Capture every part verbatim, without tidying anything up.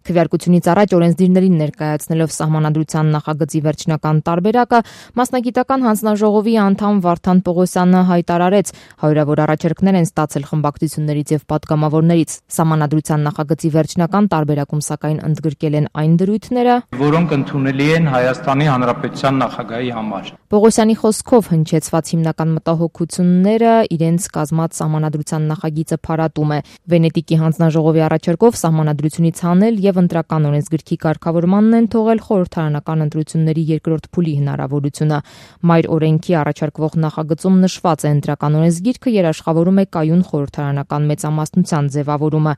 Քվեարկությունից առաջ օրենսդիրներին ներկայացնելով Սահմանադրության նախագծի վերջնական տարբերակը, մասնագիտական հանձնաժողովի անդամ Վարդան Պողոսյանը հայտարարեց, հարյուրավոր առաջարկներ են ստացել խմբակցություններից եւ պատգամավորներից։ Սահմանադրության նախագծի վերջնական տարբերակում սակայն ընդգրկել են այն դրույթները, որոնք ընդունելի են Հայաստանի Հանրապետության նախագահի համար։ Պողոսյանի խոսքով հնչեցված հիմնական մտահոգությունները իրենց կազմած Սահմանադրության նախագիծը փարատում է։ Վենետիկի հանձնաժողովի առաջարկով Սահմանադրությունից հանել եւ ընտրական օրենսգրքի կարգավորմանն են թողել խորհրդարանական ընտրությունների երկրորդ փուլի հնարավորությունը։ Մայր օրենքի առաջարկվող նախագծում նշված է ընտրական օրենսգիրքը երաշխավորում է կայուն խորհրդարանական մեծամասնության ձևավորումը։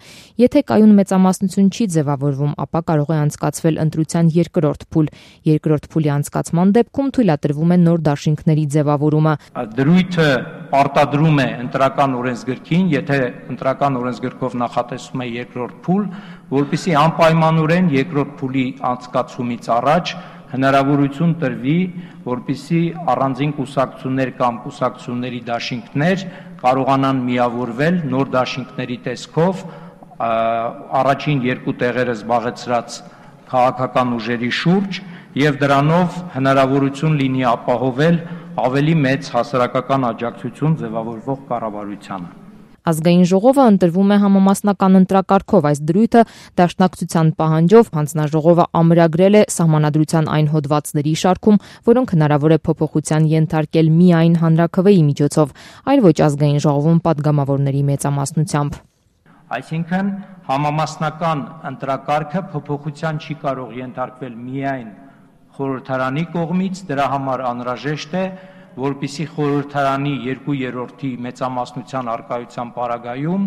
Եթե կայուն մեծամասնություն չի ձևավորվում, ապա կարող է անցկացվել ընտրության երկրորդ փուլ։ Երկրորդ փուլի անցկացման դեպքում թույլատրվում է նոր դաշինքների ձևավորումը։ Դրույթը պարտադրում է ընտրական օրենսգրքին, եթե ընտրական օրենսգրքով նախատեսվում է երկրորդ փուլ, որպեսզի անպայմանորեն երկրորդ փուլի անցկացումից առաջ հնարավորություն տրվի, որպեսզի առանձին կուսակցություններ կամ կուսակցությունների դաշինքներ կարողանան միավորվել նոր դաշինքների տեսքով առաջին երկու տեղերը զբաղեցրած քաղաքական ուժերի շուրջ եւ դրանով հնարավորություն լինի ապահովել ավելի մեծ հասարակական աջակցություն ձևավորվող կառավարությանը։ Ազգային ժողովը ընտրվում է համամասնական ընտրակարգով, այս դրույթը դաշնակցության պահանջով հանձնաժողովը ամրագրել է Սահմանադրության այն հոդվածների շարքում, որոնք հնարավոր է փոփոխության ենթարկել միայն հանրաքվեի միջոցով, այլ ոչ ազգային ժողովում պատգամավորների մեծամասնությամբ։ Այսինքն համամասնական ընտրակարգը փոփոխության չի կարող ենթարկվել միայն խորհրդարանի կողմից, դրա համար անհրաժեշտ է, որպեսզի խորհրդարանի երկու երրորդի մեծամասնության առկայության պարագայում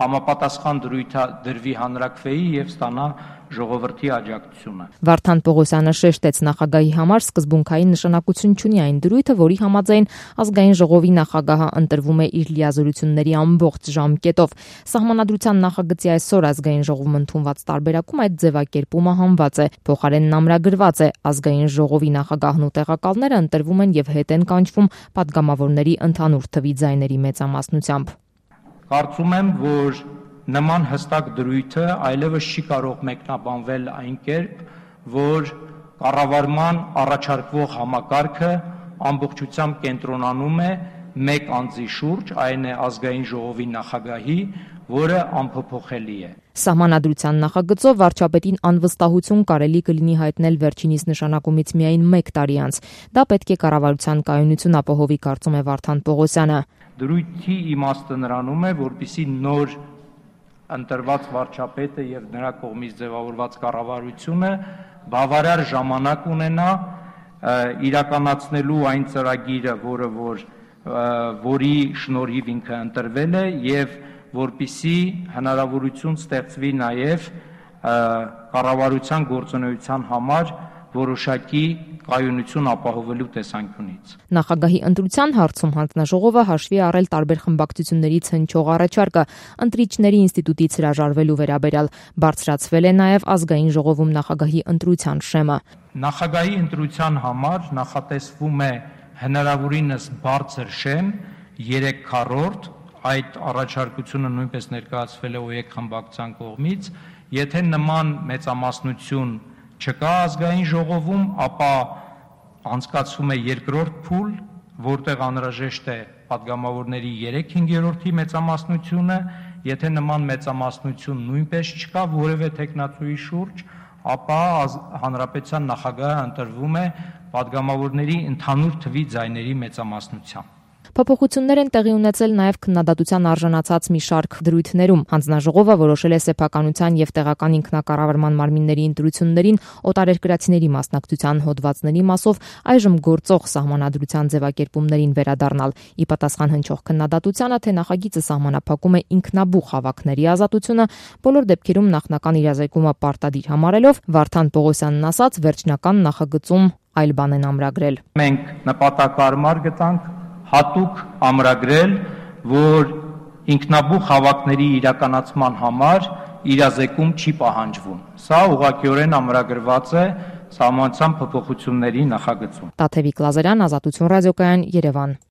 համապատասխան դրույթ դրվի հանրաքվեի եւ ստանա ժողովրդի աջակցությունը։ Վարդան Պողոսյանը շեշտեց, նախագահի համար սկզբունքային նշանակություն չունի այն դրույթը, որի համաձայն ազգային ժողովի նախագահը ընտրվում է իր լիազորությունների ամբողջ ժամկետով։ Սահմանադրության նախագծի այսօր ազգային ժողովում ընդունված տարբերակում այդ ձևակերպումը հանված է, փոխարենն ամրագրված է, ազգային ժողովի նախագահն ու տեղակալները ընտրվում են եւ հետ են կանչվում պատգամավորների ընդհանուր թվի ձայների մեծամասնությամբ։ Կարծում եմ, որ նման հստակ դրույթը այլևս չի կարող մեկնաբանվել այն կերպ, որ կառավարման առաջարկվող համակարգը ամբողջությամբ կենտրոնանում է մեկ անձի շուրջ, այն է ազգային ժողովի նախագահի, որը անփոփոխելի է։ Սահմանադրության նախագծով վարչապետին անվստահություն կարելի կլինի հայտնել վերջինիս նշանակումից միայն մեկ տարի անց։ Դա պետք է կառավարության կայունություն ապահովի, կարծում է Վարդան Պողոսյանը։ Դրույթի իմաստը նրանում է, որպեսզի նոր ընտրված վարչապետը եւ նրա կողմից ձևավորված կառավարությունը բավարար ժամանակ ունենա իրականացնելու այն ծրագիրը, որը որ որի շնորհիվ ինքը ընտրվել է եւ որպեսզի հնարավորություն ստեղծվի նաեւ կառավարության գործունեության համար որոշակի կայունություն ապահովելու տեսանկյունից։ Նախագահի ընտրության հարցում հանձնաժողովը հաշվի առել տարբեր խմբակցություններից հնչող առաջարկը ընտրիչների ինստիտուտից հրաժարվելու վերաբերյալ, բարձրացվել է նաև ազգային ժողովում նախագահի ընտրության շեմը։ Նախագահի ընտրության համար նախատեսվում է հնարավորինս բարձր շեմ երեք քառորդ, այդ առաջարկությունը նույնպես ներկայացվել է ՕԵԿ խմբակցության կողմից, եթե նման մեծամասնություն չկա ազգային ժողովում, ապա անցկացվում է երկրորդ փուլ, որտեղ անհրաժեշտ է պատգամավորների երեք հինգերորդի մեծամասնությունը, եթե նման մեծամասնություն նույնպես չկա որևէ թեկնածուի շուրջ, ապա հանրապետության նախագահը ընտրվում է պատգամավորների ընդհանուր թվի ձայների մեծամասնությամբ։ Փոփոխություններ են տեղի ունեցել նաև քննադատության արժանացած մի շարք դրույթներում։ Հանձնաժողովը որոշել է սեփականության եւ տեղական ինքնակառավարման մարմինների ընտրություններին օտարերկրացիների մասնակցության հոդվածների մասով այժմ գործող սահմանադրության ձևակերպումներին վերադառնալ։ Ի պատասխան հնչող քննադատությանը, թե նախագիծը սահմանափակում է ինքնաբուխ հավաքների ազատությունը, բոլոր դեպքերում նախնական իրազեկումը պարտադիր համարելով, Վարդան Պողոսյանն ասաց, վերջնական նախագծում այլ բան են ամրագրել։ Մենք նպատակարար գտանք հատուկ ամրագրել, որ ինքնաբուխ հավաքների իրականացման համար իրազեկում չի պահանջվում։ Սա ուղղակիորեն ամրագրված է Սահմանադրության փոփոխությունների նախագծում։ Տաթևիկ Լազարյան, Ազատություն ռադիոկայան, Երևան։